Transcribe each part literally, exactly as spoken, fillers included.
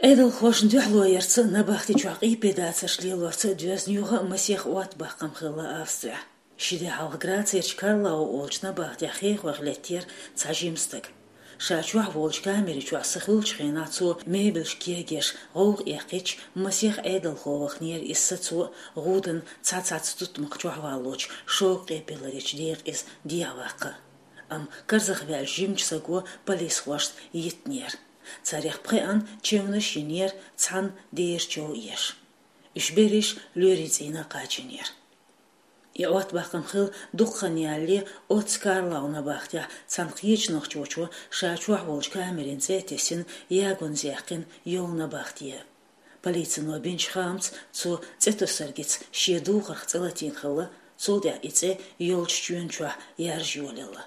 Ӏедалхошна дуьхьало ярца а, набахти чохь къепедацарш лелорца а доьзна юха а масех оттабаккхам хилла Австрехь. Ши де хьалха Грацерчу Карлау олучу набахтехь хехойх леттера цхьа жима стаг. Ша чохь волчу камери чохь са хуьлучу хенахь цо мебелаш кегеш, гӀовгӀа эккхича, масех Ӏедалхо ваханера иза сацо а, гӀуданан цхьацца тутмакх чохь валлочу шога къепе ларъечу декъа иза дехьаваккха а. Амма карзахваьллачу жимачу саго полисхошна йиттинера. Царех пхеана чевнаш йинера, цхьанна дера чов еш. Уьш берриш лоьрийн цӀийнах кхачийнера. И оттабаккхам хилла дукха хан ялале оццу Карлау набахтехь цхьана кхечу нохчочо ша чохь волчу камерин цӀе а тесна, ягонза яьккхина йолу набахте. Полицино бинчу хаамца, цо цӀе тосаргица шен духарх цӀе латийна хилла, цул тӀаьхьа и цӀе йолчу чоьн чохь яржа йолаелла.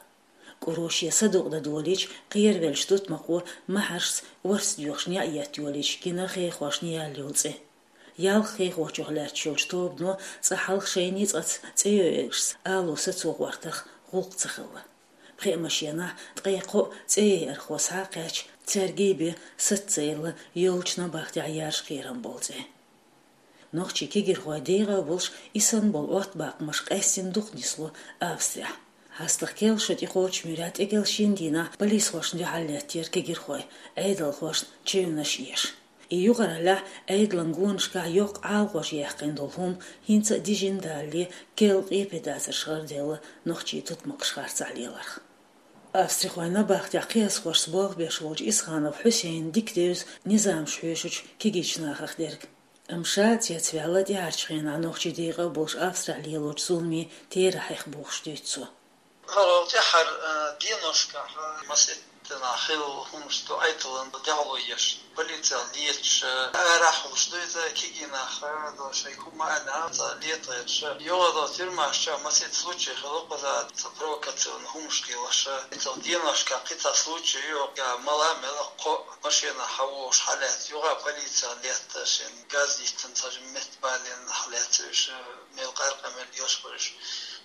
КӀуро шен садукъа дан долийча, кхеравеллачу тутмакхо махьаршца орца доьхуш неӀ етта йолийча гина хехошна яьлла йолу цӀе. Ялх хехочух лаьтташ йолчу тобано цкъа хьалха шайна ницкъаца цӀе йойъуш ало сацо гӀортарх гӀуллакх ца хилла. Пхеа машенахь ткъе кхоъ цӀе йойъархо схьа а кхаьчна, цаьрга бен саца ца елла йолчу набахтехь яржа кхерам болу цӀе. Нохчийн кегирхойн декъа а болуш, и санна болу оттабаккхамаш къаьстина дукха нисло Австрехь. ХьастагӀа-керла шо тӀекхочучу муьрехь тӀекӀел шина дийнахь полисхошна дуьхьал леттера кегирхой, Ӏедалхошна чевнаш еш. И юкъараллехь Ӏедалан гонашкахь йоккха Ӏалашонаш яьккхина долу хӀума хӀинца а дижина далале, керла къепедацарш гӀарделла нохчийн тутмакхаш харцахь леларх. Австрихойн набахтехь кхиазхошца болх беш волчу Исханов Хьусейна дика девза низамаш хьоьшучу кегийчу нахах дерг. Амма ша а цецваьлла тӀаьхьарчу хенахь нохчийн декъа а болуш Австрехь лелочу зуламийн терахьех бохуш дуьйцу цо. ХӀара тӀаьхьара, а, деношкахь, а, маситтанахь хилла хӀуманаш ду Ӏедална дуьхьало еш, полицел леташ, а, арахь хуьлуш ду иза, кегий нах, а, до шайн хӀума аьлла, цхьа летагӀерш. ЙогӀу до тюрьмаш чохь маситта случай хилла кхуза, цхьа провокационни хӀуманаш лелош, а. Иццал деношкахь кхин цхьа случай ю, я мала мела кхоъ машенахь хьан вогӀуш хьалаьцна, юха полицел летта, шен газ йиттина цхьа жимма метта балийна хьалаьцна уьш, а, мел къаьркъа мел йолуш бу уьш.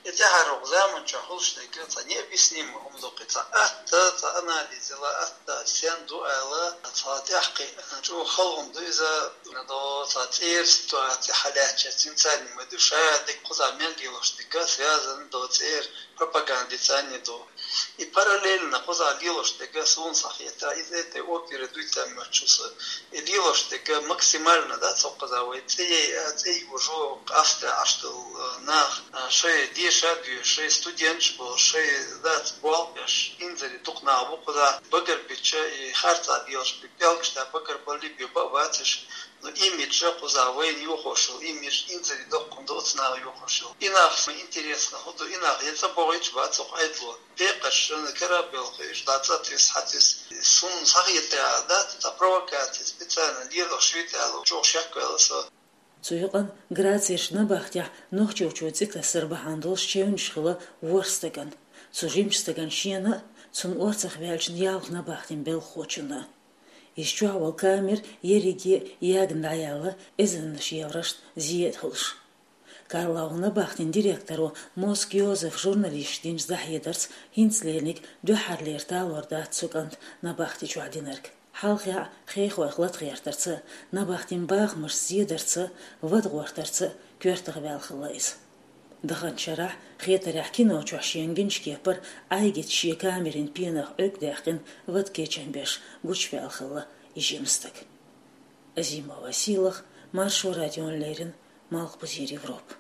И тӀаьхьара вукху заман чохь хуьлуш дерг цхьа необъяснимо хӀума ду кхин, цхьа атта, цхьа анализ йила атта, стен ду ала, цхьа тӀаьхьакхин чӀогӀа хала хӀума ду иза, до цхьа цӀера ситуаци хьалаьцча, цуьнца ма ду, ша дерг кхуза мел лелош дерг связан до цӀера пропагандица а ду. И параллельно кхуза лелош дерг суна схьахетарехь, иза тӀе опера дуьйцан моьтту шу са. И лелош дерг максимально, да, цо кхуза вай цӀе яй, а, цӀе йожо, къаста Ӏаш долу, а, нах, а, шайн деша а доьшуш, шайн студенташ болуш, шайн, да, болх беш, инзаре дукха нах бу кхуза, багарбича, и харцахь лелаш бу, пӀелгаш тӀе багарбалли бу, баъ бацаш, но имидж кхуза вайна йохош йолу, имидж инзаре доккхун ду оцу наха йохош йолу. И нах ма интересно хӀун ду, и нах я цӀа богӀуьйтуш бац оха Ӏедало. Декъаш шуна карабелхуьйш, дӀа цӀа туьйсу, хьан туьйсу. Суна схьахетарехь, да, цхьа провокаци специально лелош ю те аьлла, чӀогӀа шек ваьлла со. Цу юкъанна Грацерчу набахтехь нохчочо цӀе тасар бахьана долуш чевнаш хилла ворхӀ стагана. Цу жимачу стагана шена а, цунна орцах ваьллачун ялх набахтин белхахочунна а. Иза чохь волу камера ерриге а ягна дӀаяьлла, эзарнаш еврошна зен а хуьлуш. Карлау набахтин директоро Моск Йозефа журналисташна динчу дӀахьедарца, хӀинца лериниг дуьххьарлера талор дац цу кӀанта набахти чохь динарг. Хьалхе а хехойх латагӀертарца а, набахтин бахамашца зедарца а, вада гӀортарца а коьртах ваьлла хилла иза. Даханчу шарахь, хетарехь, кино чохь шена гинчу кепара Ӏайгица шен камерин пенах Ӏуьрг даьккхина вада кечам беш гучуваьлла хилла и жима стаг. Азимова Сийлаха, Маршо радиона леррина, Малхбузера Европа.